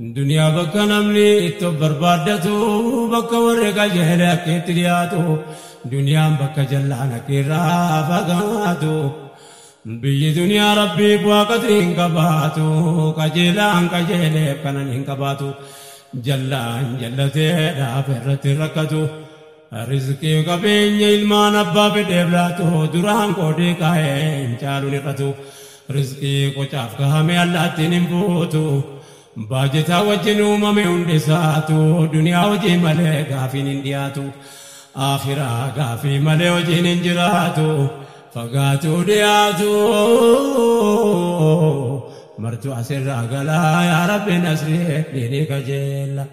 Duniyaa bakka namni itti of barbaaddatu, bakka warri qajeele akka itti dhiyaatu, duniyaan bakka jallaan akka irraa fagaatu. Biyyi duniyaa rabbii bu'aa qadrii hin qabaatu, qajeelaan qajeeleef kanan hin qabaatu, jallaan jallatee dhaaf irratti rakkatu. Rizqii qabeenya ilmaan abbaa fedheef laatu, duraan qoodee kaa'ee hin caaluun hir'atu. Rizqii qocaaf kaa'ame allaattiin hin fuutu. Baajetaa wajjin uumame hundi isaatu, duniyaa hojii malee gaafiin hin dhiyaatu. Akhiraa gaafii malee hojiin hin jiraatu. Fagaatu dhiyaatu. Martu asirraa galaa, yaa Rabbi nasrii diinii kajeella.